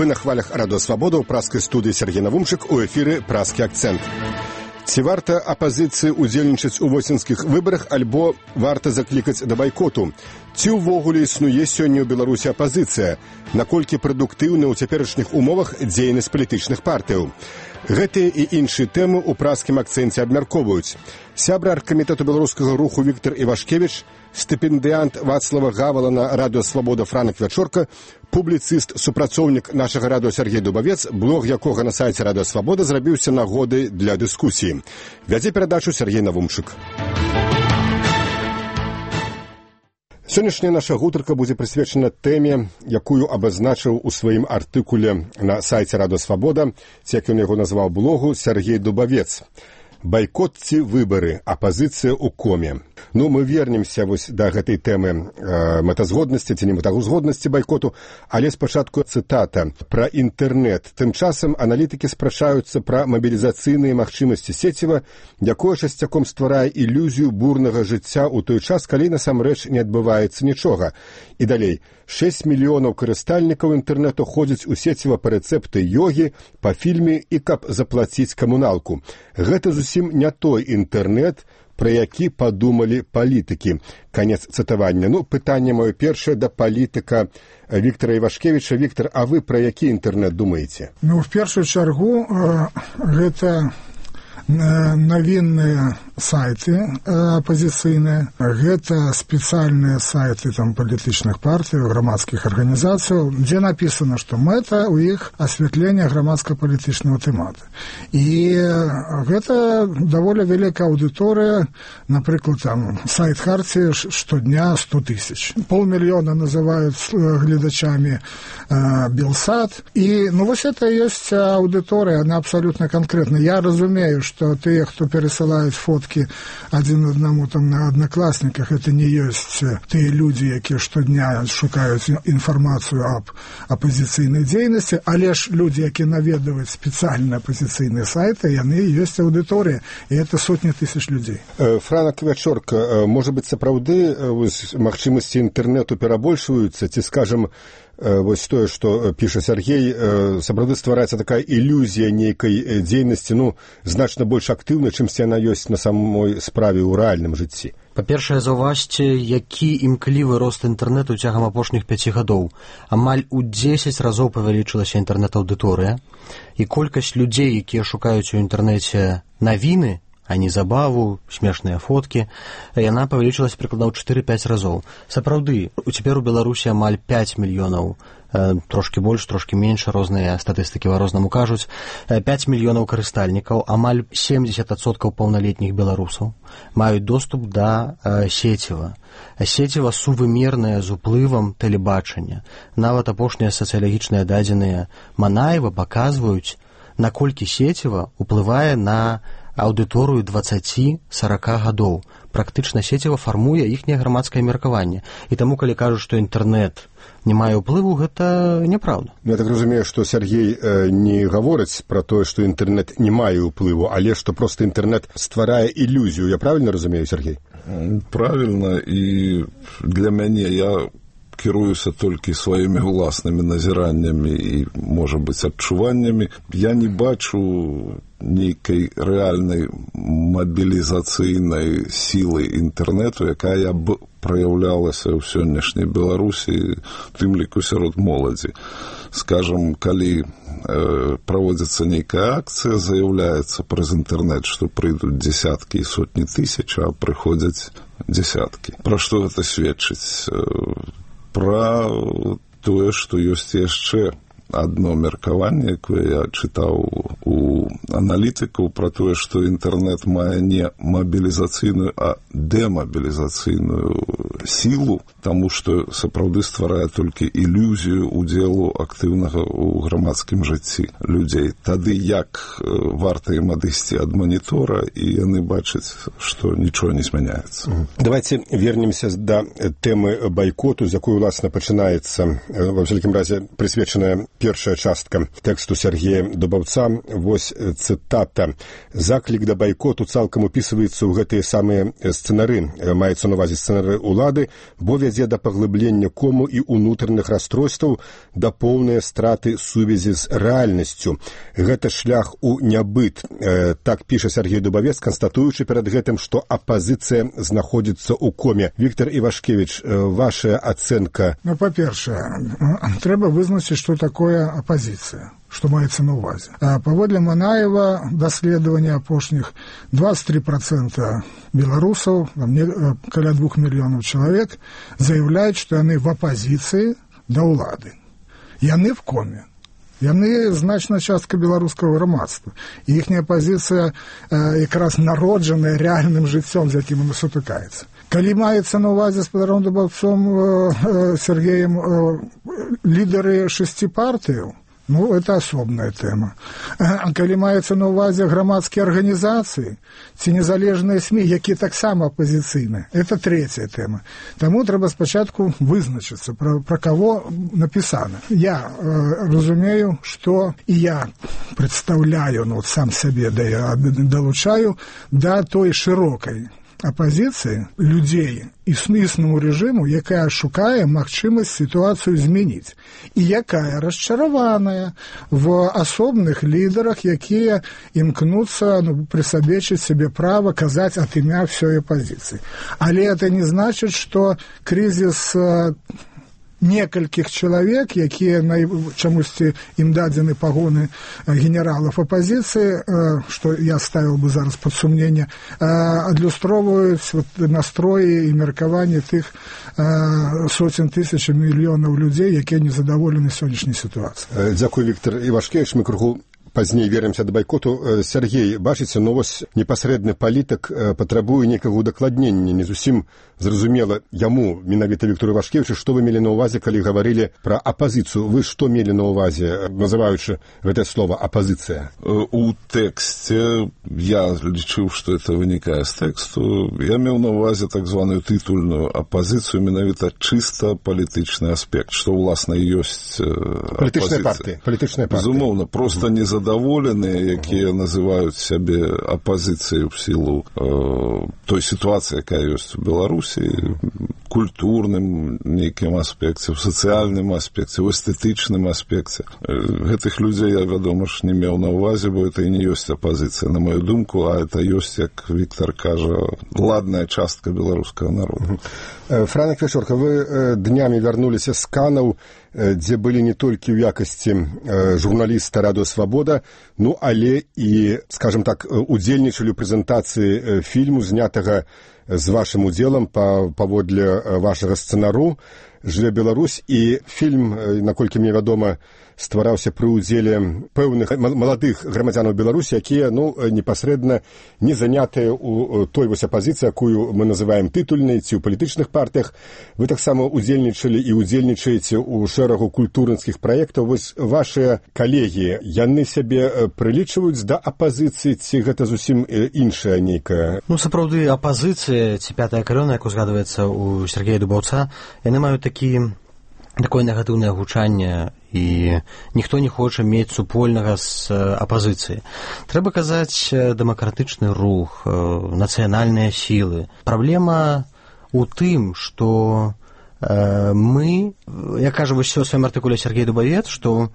Вы на хвалях Радио Свобода ў праскай студыі Сергей Навумчык, у эфіры «Праскі акцэнт». Ці варта апазіцыі удзельнічаць у восеньскіх выбарах, альбо варта заклікаць да байкоту? Ці ўвогуле існуе сёння ў Беларусі апазіцыя? Наколькі прадуктыўна ў цяперашніх умовах дзейнасць палітычных партыяў? Гэтыя і іншыя тэмы ў праскім акцэнце абмяркоўваюць. Сябра аргкамітэту беларускага руху Віктор Івашкевіч, стыпендыянт Вацлава Гавала на Радио Свобода Франак Вячорка, публіцыст, супрацоўнік нашага радыо Сергей Дубавец, блог якога на сайце Радио Свобода зрабіўся нагодай для дыскусіі. Вядзе перадачу Сергей Навумчык. Сённяшняя наша гутарка будзе прысвечана тэме, якую абазначыў у сваім артыкуле на сайце Радио Свобода, ці як ён яго назваў блогу, Сергей Дубавец. Байкот ці выбары, апазіцыя ў коме. Ну, мы вернемся вось да гэтай тэмы мэтазгоднасці ці не мэтазгоднасці байкоту, але спачатку цытата пра інтэрнэт. Тым часам аналітыкі спрачаюцца пра мабілізацыйныя магчымасці сеціва, якое часцяком стварае ілюзію бурнага жыцця ў той час, калі насамрэч не адбываецца нічога. І далей, 6 мільёнаў карыстальнікаў інтэрнэту ходзяць у сеціва па рэцэпты йогі, па фільме і каб заплаціць камуналку. Гэта зусім не той інтэрнэт, пра які падумалі палітыкі. Канец цытавання. Ну, пытанне маё першае да палітыка Віктора Івашкевіча. Віктор, а вы пра які інтэрнэт думаеце? Ну, в першую чаргу, гэта навінныя сайты апазіцыйныя, гэта спецыяльныя сайты там палітычных партый, грамадскіх арганізацыяў, дзе напісана, што мэта ў іх асвятленне грамадска-палітычнага тэматы. І гэта даволі вялікая аўдыторыя, напрыклад, там сайт Хартии штодня 100 тысяч. 500 000 называюць гледачамі Белсат. І, ну, вось это ёсць аўдыторыя, она абсолютно конкретна. Я разумею, што тыя, хто перасылаюць фоткі адзін аднаму там на аднакласніках, это не ёсць тыя людзі, якія штодня шукаюць інфармацыю аб апазіцыйнай дзейнасці, але ж людзі, якія наведваюць спецыяльныя апазіцыйныя сайты, яны ёсць аўдыторыя, і это сотні тысяч людзей. Франак Вячорка, можа быць, сапраўды магчымасці інтэрнэту перабольшваюцца, ці, скажам, вось тое, што піша Сергей, сапраўды ствараецца такая ілюзія нейкай дзейнасці, ну, значна больш актыўна, чымсьці яна ёсць на самой справе ў рэальным жыцці. Па-першае, заўважце, які імклівы рост інтэрнэту цягам апошніх 5 гадоў. Амаль у 10 разоў павялічылася інтэрнэт-аўдыторыя, і колькасць людзей, якія шукаюць у інтэрнэце навіны, а не забаву, смешныя фоткі, яна павялічылася прыкладна ў 4-5 разоў. Сапраўды, цяпер у Беларусі амаль 5 мільёнаў, трошкі больш, трошкі менш, розныя статыстыкі па-рознаму кажуць, 5 мільёнаў карыстальнікаў, амаль 70% паўналетніх беларусаў маюць доступ да сеціва. Сеціва сувымернае з уплывам тэлебачання. Нават апошнія сацыялагічныя дадзеныя Манаева паказваюць, наколькі сеціва ўплывае на аўдыторыю 20-40 гадоў. Практычна сеціва фармуе іхняе грамадскае меркаванне. І таму, калі кажуць, што інтэрнэт не мае ўплыву, гэта няправда. Я так разумею, што Сергей не гаворыць пра тое, што інтэрнэт не мае ўплыву, але што проста інтэрнэт стварае ілюзію. Я правільна разумею, Сергей? Правільна, і для мяне я кіруюся толькі сваімі ўласнымі назіраннямі і, можа быць, адчуваннямі. Я не бачу нейкай рэальнай мабілізацыйнай сілы інтэрнэту, якая б праяўлялася ў сённяшняй Беларусі, тым ліку сярод моладзі. Скажам, калі праводзіцца нейкая акцыя, заяўляецца праз інтэрнэт, што прыйдуць дзесяткі і сотні тысяч, а прыходзяць дзесяткі. Пра што гэта сведчыць? Пра тое, што ёсць яшчэ адно меркаванне, якое я чытаў у аналітыкаў, пра тое, што інтэрнэт мае не мабілізацыйную, а дэмабілізацыйную сілу, таму што сапраўды стварае толькі ілюзію удзелу актыўнага ў грамадскім жыцці людзей. Тады як варта ім адысці ад манітора, і яны бачаць, што нічога не змяняецца. Давайте вернемся да тэмы байкоту, з якой, уласна, пачынаецца, ва ўсякім разе, прысвечаная першая частка тэксту Сергея Дубаўца. Вось цытата. Заклік да байкоту цалкам упісваецца ў гэтыя самыя сцэнары, маецца на увазе сцэнары ўлады, бо вядзе да паглыблення кому і ўнутраных расстройстваў, да поўнай страты сувязі з рэальнасцю. Гэта шлях у нябыт. Так піша Сергей Дубавец, канстатуючы перад гэтым, што апазіцыя знаходзіцца ў коме. Віктор Івашкевич, ваша ацэнка? Ну, па-першае, трэба вызначыць, што такое апазіцыя, што маецца на ўвазе. Паводле Манаева, даследавання апошніх, 23% беларусаў, каля 2 мільёнаў чалавек, заяўляюць, што яны в апазіцыі да ўлады. Яны в коме. Яны значная частка беларускага грамадства. І іхняя пазіцыя якраз народжаная рэальным жыццём, з якім яна сутыкаецца. Калі маецца на ўвазе спадаром Дубаўцом Сергеем лідары 6 партыяў, ну, это асобная тэма. А калі маецца на ўвазе грамадскія арганізацыі ці незалежныя СМІ, якія таксама апазіцыйныя, это третья тэма. Таму трэба спачатку вызначыцца, пра каго напісана. Я разумею, што і я прадстаўляю, ну, сам сябе далучаю да той шырокай апазіцыі людзей існуючаму рэжыму, якая шукае магчымасць сітуацыю змяніць і якая расчараваная в асобных лідарах, якія імкнуцца прысабечыць сабе права казаць ад імя ўсёй апазіцыі. Але это не значыць, што крызіс некалькіх чалавек, якія чамусьці ім дадзены пагоны генералаў апазіцыі, што я ставіў бы зараз пад сумненне, адлюстроўваюць настроі і меркаванні тых соцень тысяч мільёнаў людзей, якія незадаволены сённяшняй сітуацыяй. Дзякуй, Віктор Івашкевич. Мы крыху пазней вернемся да байкоту. Сергей, бачыце, ну вось непасрэдны палітык патрабуе некага удакладнення, не зусім зразумела яму, менавіта Віктору Івашкевичу, што вы мелі на ўвазе, калі гаварылі пра апазіцыю. Вы што мелі на ўвазе, называючы гэтае слова апазіцыя? У тэксце я лічыў, што это вынікае з тэксту. Я меў на ўвазе так званую тытульную апазіцыю, менавіта чыста палітычны аспект, што ўласна ёсць апазіцыя. Палітычныя партыі. Безумоўна, проста незадаволеныя, якія называюць сябе апазіцыяй у сілу той сітуацыі, якая ёсць у Беларусі, культурным нейкім аспекце, в сацыяльным аспекце, в эстэтычным аспекце. Гэтых людзей я, вядома ж, не меў на ўвазе, бо это і не ёсць апазіцыя, на мою думку, а это ёсць, як Віктор кажа, ладная частка беларускага народа. Франак Вечорка, вы днямі вярнуліся з Канаў, дзе былі не толькі ў якасці журналіста Радыё Свабода, ну, але і, скажем так, удзельнічалі ў прэзентацыі фільму, знятага з вашым удзелам паводле вашага сцэнару «Жыве Беларусь», і фільм, наколькі мне вядома, ствараўся пры ўдзеле пэўных маладых грамадзянаў Беларусі, якія, ну, непасрэдна не занятыя ў той вось апазіцыі, якую мы называем тытульнай, ці ў палітычных партыях. Вы таксама удзельнічалі і удзельнічаеце ў шэрагу культурніцкіх праектаў. Вось вашыя калегі, яны сябе прылічваюць да апазіцыі, ці гэта зусім іншая нейкая? Ну, сапраўды, апазіцыя, ці пятая калёна, як узгадваецца у Сергея Дубаўца, яны маюць такое негатыўнае гучанне, і ніхто не хоча мець супольнага з апазіцыяй. Трэба казаць дэмакратычны рух, нацыянальныя сілы. Праблема ў тым, што мы, як кажа вось у сваім артыкуле Сергей Дубавец, што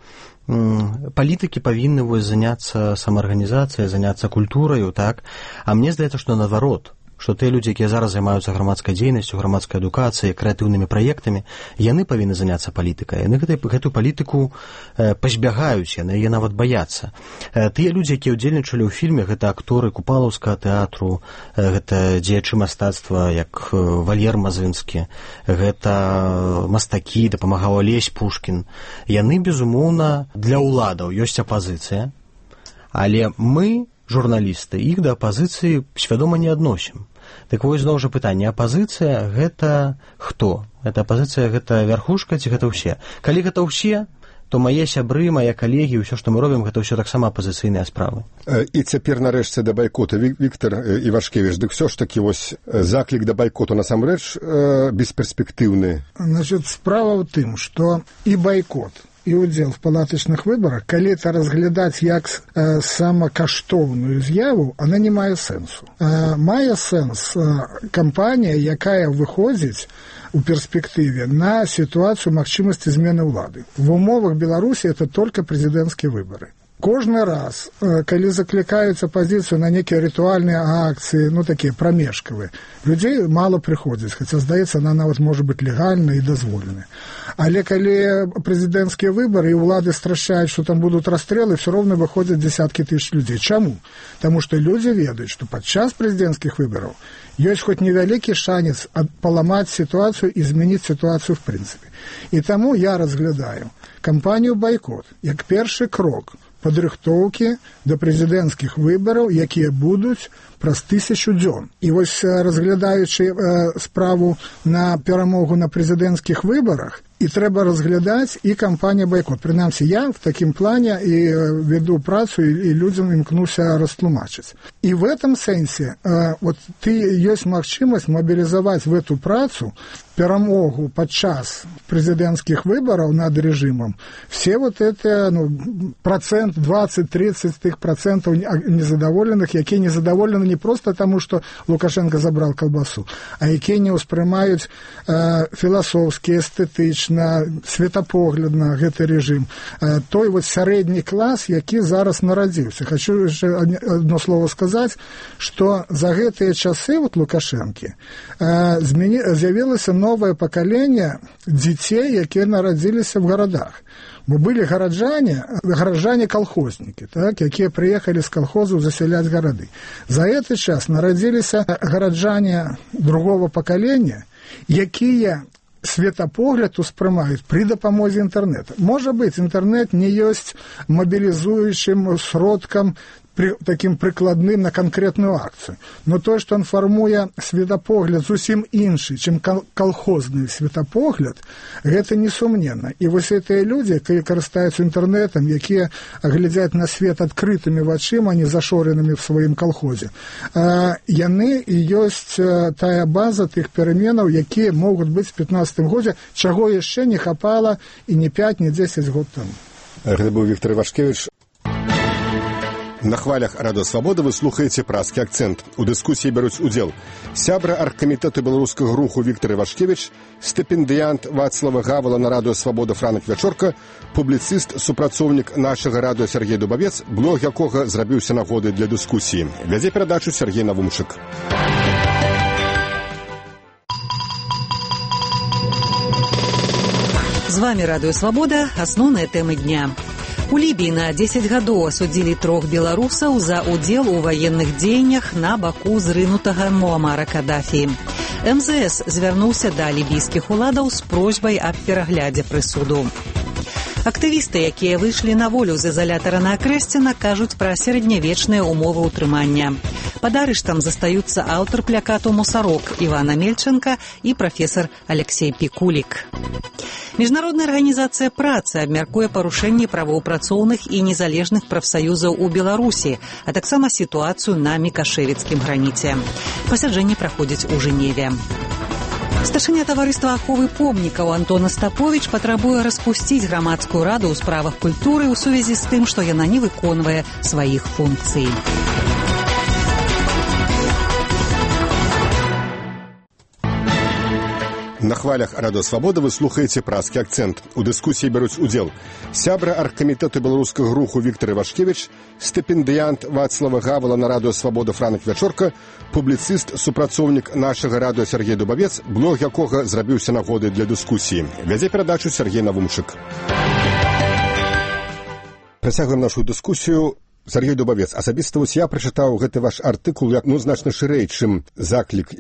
палітыкі павінны заняцца самаарганізацыяй, заняцца культураю, так? А мне здаецца, што наадварот, што тыя людзі, якія зараз займаюцца грамадскай дзейнасцю, грамадскай адукацыяй, крэатыўнымі праектамі, яны павінны заняцца палітыкай. Яны гэтую палітыку пазбягаюць, яны яе нават баяцца. Тыя людзі, якія ўдзельнічалі ў фільме, гэта акторы Купалаўскага тэатру, гэта дзеячы мастацтва, як Вальер Мазынскі, гэта мастакі, дапамагаў Алесь Пушкін. Яны, безумоўна, для ўладаў ёсць апазіцыя, але мы, журналісты, іх да апазіцыі свядома не адносім. Так вось, зноў жа пытанне, апазіцыя гэта хто? Гэта апазіцыя, гэта вярхушка ці гэта ўсе? Калі гэта ўсе, то мае сябры, мае калегі, ўсё, што мы робім, гэта ўсё таксама апазіцыйныя справы. І цяпер нарэшце да байкоту. Віктор Івашкевич, дык ўсё ж такі вось заклік да байкоту насамрэч бесперспектыўны. Значит, справа ў тым, што і байкот, і ўдзел в палатачных выбарах, калі это разглядаць як самакаштоўную з'яву, она не мае сэнсу. Мае сэнс кампанія, якая выходзіць у перспектыве на ситуацию магчымасці змены ўлады. В умовах Беларусі это только президентские выборы. Кожны раз, калі заклікаюць апазіцыю на некія рытуальныя акцыі, такія прамежкавыя, людзей мала прыходзіць, хаця, здаецца, она нават можа быць легальна і дазволеная. Але калі прэзідэнцкія выбары і ўлады страшаюць, што там будуць расстрэлы, все роўна выходзяць дзесяткі тысяч людзей. Чаму? Таму што людзі ведаюць, што падчас прэзідэнцкіх выбараў ёсць хоць невялікі шанец паламаць сітуацыю і змяніць сітуацыю в прынцыпе. І таму я разглядаю кампанію «Байкот» як першы крок падрыхтоўкі да прэзідэнцкіх выбараў, якія будуць праз 1000 дзён. І вось разглядаючы справу на перамогу на прэзідэнцкіх выбарах, і трэба разглядаць і кампанія «Байкот». Прынамсі, я в такім плане і веду працу, і людзям імкнуся растлумачыць. І в этом сэнсе ёсць магчымасць мабілізаваць в эту працу перамогу падчас прэзідэнцкіх выбараў над рэжымам. Все это процент 20-30 тых процентаў незадаволеных, якія незадаволены не просто таму, што Лукашенко забрал колбасу, а якія не ўспрымаюць філасофскі, эстэтычна, светапоглядна гэты рэжым. Той сярэдні клас, які зараз нарадзіўся. Хочу яшчэ одно слово сказаць, што за гэтыя часы Лукашэнкі з'явілася новое пакаленне дзяцей, якія нарадзіліся в гарадах. Бо былі гараджане-колхознікі, якія прыехалі з колхозаў засяляць гарады. За гэты час нарадзіліся гараджане другого пакалення, якія светапогляд успрымаюць пры дапамозе інтэрнэта. Можа быць, інтэрнэт не ёсць мабілізуючым сродкам таким прыкладным на канкрэтную акцыю. Но тое, што ён фармуе светапогляд зусім іншы, чым колхозны светапогляд, гэта несумненна. І вось гэтыя людзі, якія карыстаюцца інтэрнэтам, якія глядзяць на свет адкрытымі вачыма, а не зашоренымі в сваім колхозе, яны і ёсць тая база тых пераменаў, якія могуць быць в 15 годзе, чаго яшчэ не хапала і не 5, не 10 год таму. Гэта быў Віктор Івашкевіч. На хвалях Радыё Свабода вы слухаеце «Празкі акцэнт». У дыскусіі бяруць удзел сябра аргкамітэту беларускага руху Віктор Івашкевіч, стыпендыянт Вацлава Гавала на Радыё Свабода Франак Вячорка, публіцыст, супрацоўнік нашага радыё Сергей Дубавец, блог якога зрабіўся нагодай для дыскусіі. Вядзе перадачу Сергей Навумчык. З вами Радыё Свабода. Асноўныя тэмы дня. У Лібіі на 10 гадоў асудзілі 3 беларусаў за ўдзел у ваенных дзеяннях на баку зрынутага Муамара Кадафі. МЗС звярнуўся да лібійскіх уладаў з просьбай аб пераглядзе прысуду. Актывісты, якія выйшлі на волю з ізалятара на Акрэсціна, кажуць пра сярэднявечныя ўмовы ўтрымання. Пад арыштам застаюцца аўтар плакату «Мусарок» Івана Мельченка і прафесар Алексей Пікулік. Міжнародная арганізацыя працы абмяркуе парушэнні правоў працоўных і незалежных прафсаюзаў у Беларусі, а таксама сітуацыю на мікашэвіцкім граніце. Пасяджэнне праходзіць у Жэневе. Старшыня таварыства аховы помнікаў Антон Остапович патрабуе распусціць грамадскую раду ў справах культуры ў сувязі з тым, што яна не выконвае сваіх функцый. На хвалях Радыё Свабода вы слухаеце «Празкі акцэнт». У дыскусіі бяруць удзел сябра аргкамітэту беларускага руху Віктор Івашкевіч, стыпендыянт Вацлава Гавала на Радыё Свабода Франак Вячорка, публіцыст, супрацоўнік нашага радыё Сергей Дубавец, блог якога зрабіўся нагодай для дыскусіі. Вядзе перадачу Сергей Навумчык. Працягваем нашу дыскусію. Сергей Дубавец, асабіста я прачытаў гэты ваш артыкул як значна шырэй, чым заклік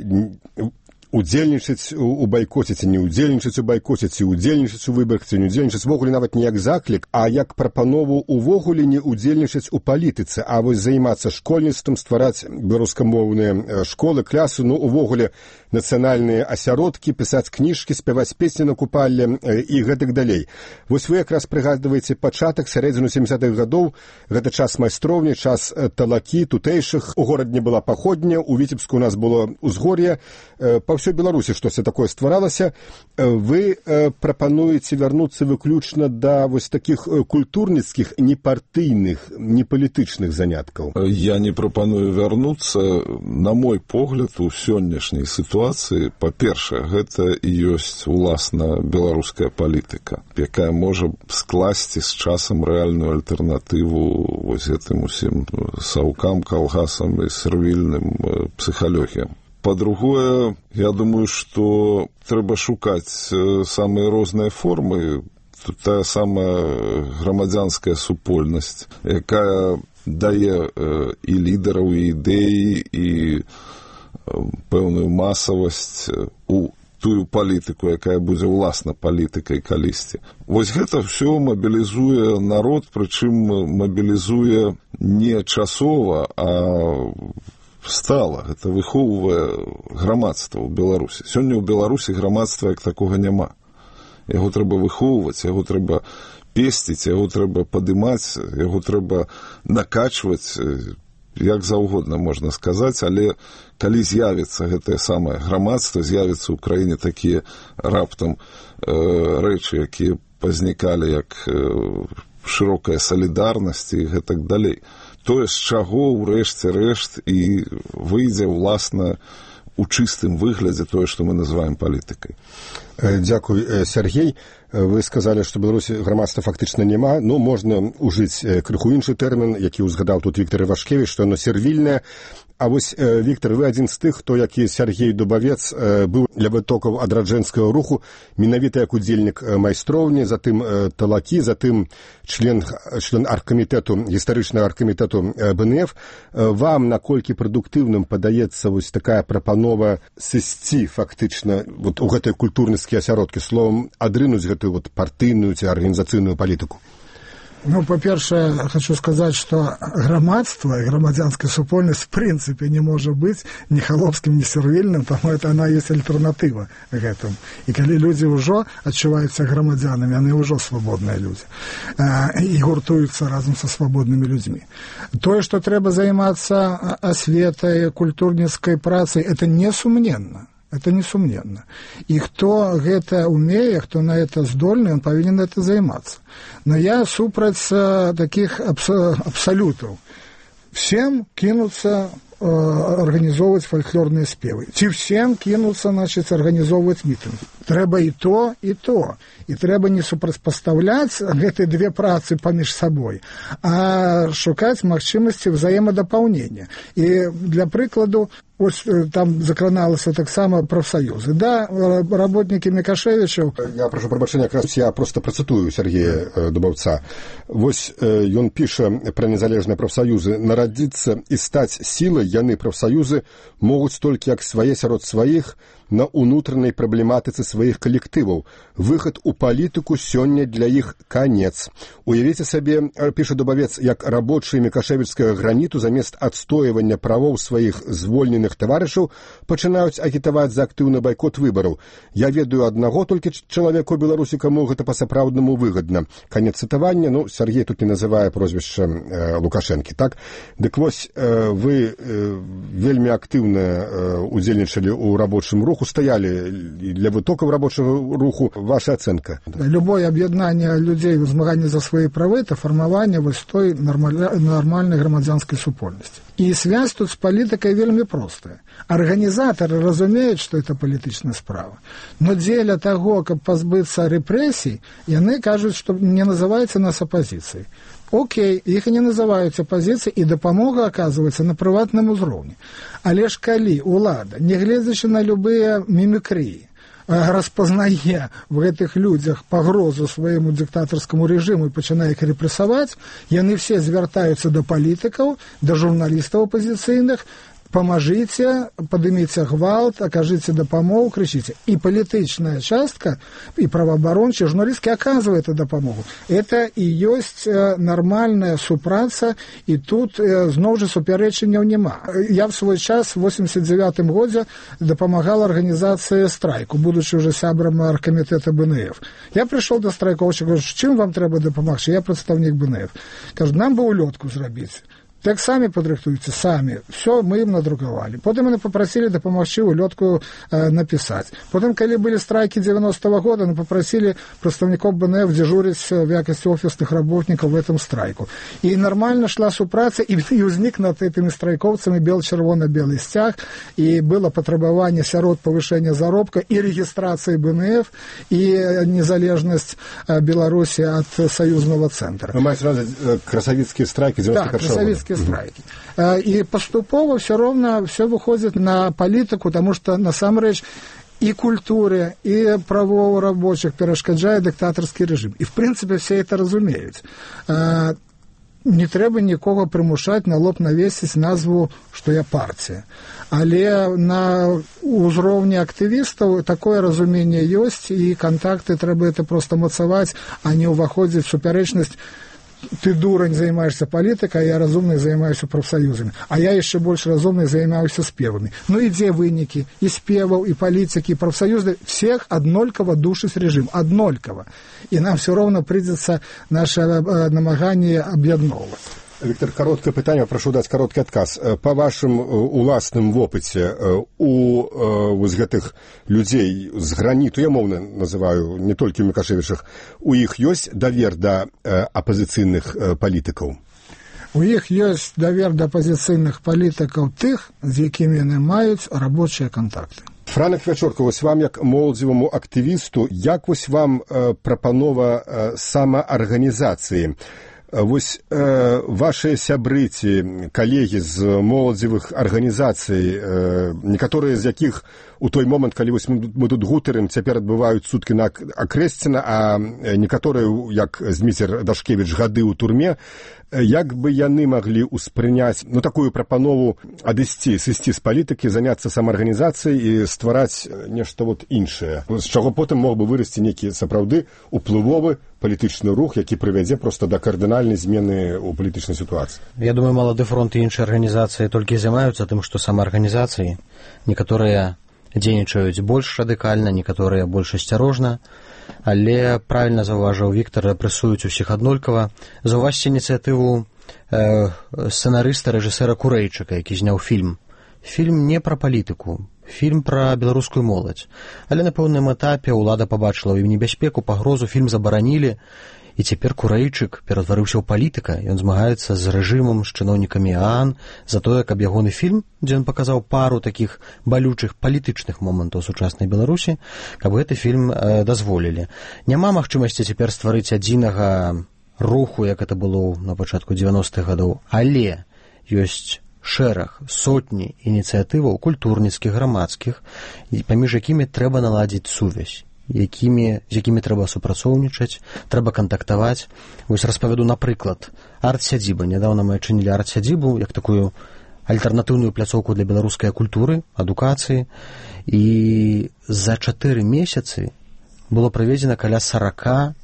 удзельнічаць у байкоце, ці не удзельнічаць у байкоце, ці удзельнічаць у выбарах, ці не удзельнічаць увогуле нават не як заклік, а як прапанову увогуле не удзельнічаць у палітыцы, а вось займацца школьніцтвам, ствараць беларускамоўныя школы, клясы, увогуле нацыянальныя асяродкі, пісаць кніжкі, спяваць песні на купалле і гэтак далей. Вось вы якраз прыгадваеце пачатак, сярэдзіну 70-х гадоў, гэта час майстроўні, час талакі, тутэйшых, у горадзе была паходня, у Віцебску у нас было ўзгор'е, па па ўсёй Беларусі штосьці такое стваралася. Вы прапануеце вярнуцца выключна да вось такіх культурніцкіх, непартыйных, непалітычных заняткаў? Я не прапаную вярнуцца. На мой погляд, у сённяшняй сітуацыі, па-першае, гэта і ёсць уласна беларуская палітыка, якая можа скласці з часам рэальную альтэрнатыву вось гэтым усім саўкам, калгасам і сервільным псіхалогіям. Па-другое, я думаю, што трэба шукаць самыя розныя формы. Тут тая самая грамадзянская супольнасць, якая дае і лідараў, і ідэі, і пэўную масавасць у тую палітыку, якая будзе ўласна палітыкай калісьці. Вось гэта ўсё мабілізуе народ, прычым мабілізуе не часова, а стала. Гэта выхоўвае грамадства ў Беларусі. Сёння ў Беларусі грамадства як такога няма. Яго трэба выхоўваць, яго трэба песціць, яго трэба падымаць, яго трэба накачваць, як заўгодна можна сказаць, але калі з'явіцца гэтае самае грамадства, з'явіцца ў краіне такія раптам рэчы, якія пазнікалі як шырокая салідарнасць і гэтак далей. Тое, з чаго ўрэшце рэшт і выйдзе ўласна у чыстым выглядзе тое, што мы называем палітыкай. Дзякуй, Сергей. Вы сказалі, што Беларусі грамадства фактычна няма. Ну, можна ўжыць крыху іншы тэрмін, які ўзгадаў тут Віктор Івашкевіч, што яно сервільнае. А вось, Віктор, вы адзін з тых, хто, як і Сергей Дубавец, быў для вытокаў адраджэнскага руху, менавіта як удзельнік майстроўні, затым талакі, затым член аргкамітэту, гістарычнага аргкамітэту БНФ. Вам наколькі прадуктыўным падаецца вось такая прапанова сысці фактычна вот у гэтай культурніцкія асяродкі, словам, адрынуць гэтую вот партыйную ці арганізацыйную палітыку? Ну, по-перше, хочу сказать, что громадство и громадянская супольность в принципе не может быть ни холопским, ни сервильным, потому что она есть альтернатива к этому. И когда люди уже отчуваются громадянами, они уже свободные люди. И гуртуются разом со свободными людьми. То, что треба заниматься осветой, культурницкой працей, это несумненно. Это несумненно. И кто это умеет, кто на это здольный, он повинен это заниматься. Но я супраць таких абсолютов. Всем кинуться организовывать фольклорные спевы. Ці всем кинуться, значит, организовывать митинги. Трэба и то, и то. И трэба не супрацьпастаўляць гэтыя две працы паміж сабой, а шукаць магчымасці взаемадапаўнення. І для прыкладу, ось там закраналася таксама прафсаюзы. Да, работники Мікашевічаў... Я прошу прабачэння, якраз я просто працытую Сергея Дубаўца. Вось ён піша пра незалежныя прафсаюзы. Нарадзіцца і стаць сілай яны прафсаюзы могуць толькі як свае сярод сваіх, на унутранай праблематыцы сваіх калектываў. Выхад у палітыку сёння для іх канец. Уявіце сабе, піша Дубавец, як рабочыя мікашевічскага граніту замест адстойвання правоў сваіх звольненых таварышаў пачынаюць агітаваць за актыўны байкот выбараў. Я ведаю аднаго толькі чалавека ў Беларусі, каму гэта па-сапраўднаму выгадна. Канец цытавання, ну, Сергей тут не называе прозвішча Лукашэнкі, так? Дык вось, вы вельмі актыўна удзельнічалі ў рабочым руху, стояли для вытоков рабочего руху. Ваша оценка? Любое объединение людей в змагании за свои права – это формирование вот той нормальной громадянской супольности. И связь тут с политикой вельми простая. Организаторы разумеют, что это политичная справа. Но дзеля того, как позбыться репрессий, яны кажут, что не называется нас оппозицией. Окей, іх і не называюць апазіцыяй, і дапамога аказваецца на прыватным узроўні. Але ж калі ўлада, нягледзячы на любыя мімікрыі, распазнае в гэтых людзях пагрозу свайму дыктатарскаму рэжыму і пачынае іх рэпрэсаваць, яны все звяртаюцца да палітыкаў, да журналістаў апазіцыйных, памажыце, падыміце гвалт, акажыце дапамогу, крычыце. І палітычная частка, і праваабарончая, журналісткі аказвае эту дапамогу. Это і ёсць нармальная супраца, і тут зноў жа супярэчанняў няма. Я в свой час в 89-м годзе дапамагала арганізацыі страйку, будучы уже сябрам аргкамітэта БНФ. Я прыйшоў да страйкоўчыка, кажу, чым вам трэба дапамагчы? Я прадстаўнік БНФ. Кажу, нам бы улётку зрабіць. Так самі падрыхтуйце, самі. Все, мы ім надрукавалі. Потым яны папрасілі дапамагчы улётку напісаць. Потым, калі былі страйкі 90-го года, яны папрасілі прадстаўнікоў БНФ дзежурыць в якасці офісных работнікаў в этом страйку. І нармальна шла супраца, і ўзнік над этими страйкоўцамі бел-чырвона-белы сцяг, і было патрабаванне сярод павышэння заробка і рэгістрацыі БНФ, і незалежнасць Беларусі ад саюзнага цэнтра. Вы маеце на ўвазе красавіцкія страйкі 91-го года? Так, красавіцкія страйкі. І паступова все роўна все выходзіць на палітыку, таму што насамрэч і культуре, і правоў рабочих перашкаджае дыктатарскі рэжым. І в прынцыпе все это разумеюць. Не трэба нікога прымушаць на лоб навесіць назву, што я партія. Але на ўзроўні актывістаў такое разуменне ёсць, і кантакты трэба это проста мацаваць, а не ўваходзіць супярэчнасць. Ты, дурань, займаешься палітыкай, а я разумный займаюся прафсаюзамі. А я яшчэ больш разумный займаюся спевамі. Ну і дзе вынікі? І спеваў, і палітыкі, і прафсаюзы. Всех аднолькава душыць рэжым. Аднолькава. І нам все роўна прыйдзецца наше намаганне аб'ядноўваць. Віктор, кароткае пытанне, прашу даць кароткі адказ. Па вашым уласным вопыце у вось гэтых людзей з граніту, я моўна называю, не толькі ў Мікашевічах, у іх ёсць давер да апазіцыйных палітыкаў? У іх ёсць давер да апазіцыйных палітыкаў тых, з якімі яны маюць рабочыя кантакты. Франак Вячорка, вось вам як моладзеваму актывісту, як вось вам прапанова самаарганізацыі? Вось вашыя сябры ці калегі з моладзевых арганізацый, некаторыя з якіх у той момант, калі вось мы тут гутарым, цяпер адбываюць суткі на Акрэсціна, а некаторыя, як Зміцер Дашкевіч, гады ў турме, як бы яны маглі ўспрыняць такую прапанову адысці, сысці з палітыкі, заняцца самаарганізацыяй і ствараць нешта іншае, з чаго потым мог бы вырасці нейкі сапраўды уплывовы палітычны рух, які прывядзе проста да кардынальнай змены ў палітычнай сітуацыі. Я думаю, Малады фронт і іншыя арганізацыі толькі займаюцца тым, што самаарганізацыі. Некаторыя дзейнічаюць больш радыкальна, некаторыя больш асцярожна, але правільна заўважыў Віктар, рэпрэсуюць усіх аднолькава. Заўважце ініцыятыву сцэнарыста, рэжысэра Курэйчыка, які зняў фільм. Фільм не пра палітыку, фільм пра беларускую моладзь. Але на пэўным этапе ўлада пабачыла ў ім небяспеку, пагрозу, фільм забаранілі, і цяпер Курэйчык ператварыўся ў палітыка. Ён змагаецца з рэжымам, з чыноўнікамі ААН за тое, каб ягоны фільм, дзе ён паказаў пару такіх балючых палітычных момантаў сучаснай Беларусі, каб гэты фільм дазволілі. Няма магчымасці цяпер стварыць адзінага руху, як это было на пачатку 90-х гадоў, але ёсць шэраг, сотні ініцыятываў культурніцкіх, грамадскіх, паміж якімі трэба наладзіць сувязь, з якімі трэба супрацоўнічаць, трэба кантактаваць. Вось распавяду, напрыклад, арт-сядзіба. Нядаўна мы адчынілі арт-сядзібу як такую альтэрнатыўную пляцоўку для беларускай культуры, адукацыі, і за 4 месяцы было праведзена каля 40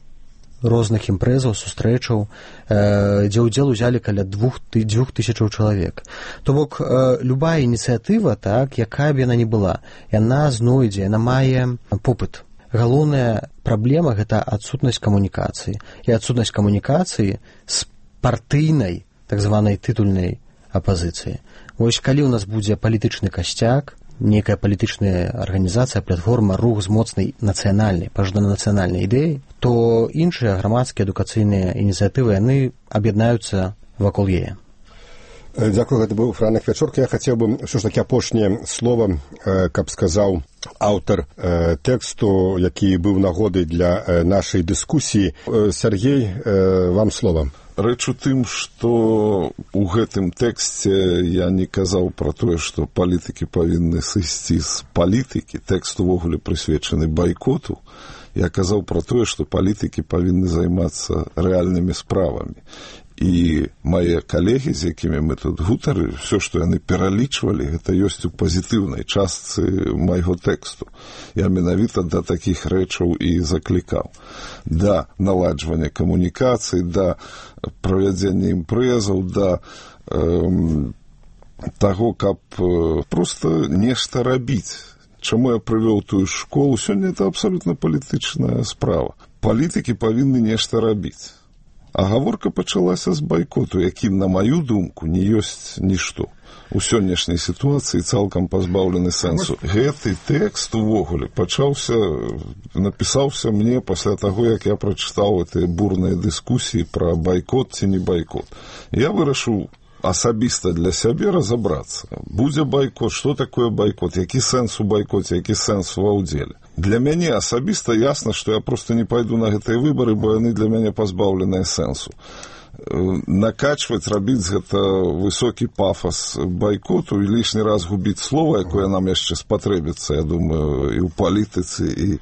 розных імпрэзаў, сустрэчаў, дзе ўдзел узялі каля 2000 чалавек. То бок, любая ініцыятыва, так, якая б яна ні была, яна знойдзе, яна мае попыт. Галоўная праблема – гэта адсутнасць камунікацыі. І адсутнасць камунікацыі з партыйнай, так званай тытульнай апазіцыі. Вось калі ў нас будзе палітычны касцяк, нейкая палітычная арганізацыя, платформа, рух з моцнай нацыянальнай, пажадана-нацыянальнай ідэяй, то іншыя грамадскія адукацыйныя ініцыятывы, яны аб'яднаюцца вакол яе. Дзякую, гэта быў Франак Вячорка. Я хацеў бы ўсё ж такі апошняе слова, каб сказаў аўтар тэксту, які быў нагодай для нашай дыскусіі. Сергей, вам слова. Рэч у тым, што ў гэтым тэксце я не казаў пра тое, што палітыкі павінны сысці з палітыкі. Тэкст увогуле прысвечаны байкоту. Я казаў пра тое, што палітыкі павінны займацца рэальнымі справамі. І мае калегі, з якімі мы тут гутары, все, што яны пералічвалі, гэта ёсць у пазітыўнай частцы майго тэксту. Я менавіта да такіх рэчаў і заклікаў. Да наладжвання камунікацый, да правядзення імпрэзаў, да таго, каб проста нешта рабіць. Чаму я прывёў тую школу? Сёння это абсалютна палітычная справа. Палітыкі павінны нешта рабіць. А гаворка пачалася з байкоту, які, на маю думку, не ёсць нішто. У сённяшняй сітуацыі цалкам пазбаўлены сэнсу. Гэты тэкст увогуле напісаўся мне пасля таго, як я прачытаў гэтыя бурныя дыскусіі пра байкот ці не байкот. Я вырашыў асабіста для сябе разабрацца. Будзе байкот, што такое байкот, які сэнс у байкоце, які сэнс ва ўдзеле. Для мяне асабіста ясна, што я проста не пайду на гэтыя выбары, бо яны для мяне пазбаўленыя сэнсу. Накачваць, рабіць гэта высокі пафас байкоту і лішні раз губіць слова, якое нам яшчэ спатрэбіцца, я думаю, і ў палітыцы, і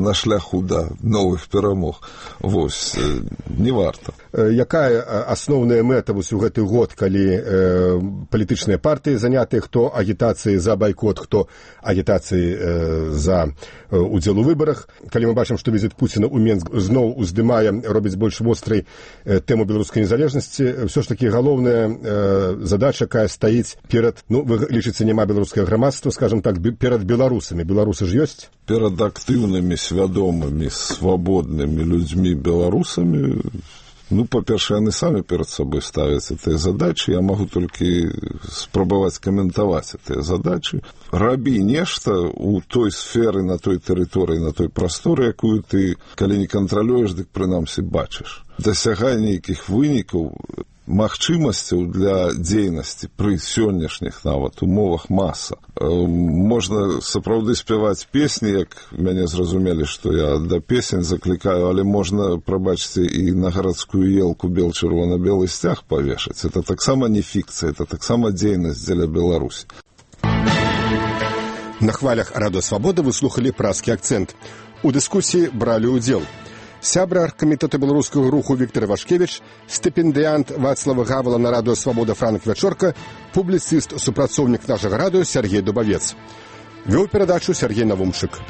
на шляху да новых перамог. Вось, не варта. Якая асноўная мэта вось у гэты год, калі палітычныя партыі занятыя, хто агітацыі за байкот, хто агітацыі за удзел у выбарах. Калі мы бачым, што візіт Пуціна ў Менск зноў уздымае, робіць больш вострай тэму беларускай незалежнасці, ўсё ж такі галоўная задача, якая стаіць перад, вы лічыце, няма беларускага грамадства, скажам так, перад беларусамі. Беларусы ж ёсць? Перад актыўнымі, свядомымі, свабоднымі людзьмі беларусамі, па-першае, яны самі перад сабой ставяць гэтыя задачы, я магу толькі спрабаваць каментаваць гэтыя задачы. Рабі нешта ў той сферы, на той тэрыторыі, на той прасторы, якую ты, калі не кантралюеш, дык прынамсі бачыш. Дасягай нейкіх вынікаў, магчымасцяў для дзейнасці пры сённяшніх нават умовах маса. Можна сапраўды спяваць песні, як мяне зразумелі, што я да песень заклікаю, але можна, прабачце, і на гарадскую елку бел-чырвона-белы сцяг павешаць. Это таксама не фікцыя, это таксама дзейнасць дзеля Беларусі. На хвалях Радыё Свабода вы слухалі празкі акцэнт. У дыскусіі бралі ўдзел сябра аргкамітэту беларускага руху Віктор Вашкевіч, стыпендыянт Вацлава Гавала на Радыё Свабода Франк Вячорка, публіцыст, супрацоўнік нашага радыё Сергей Дубавец. Вёў перадачу Сергей Навумчык.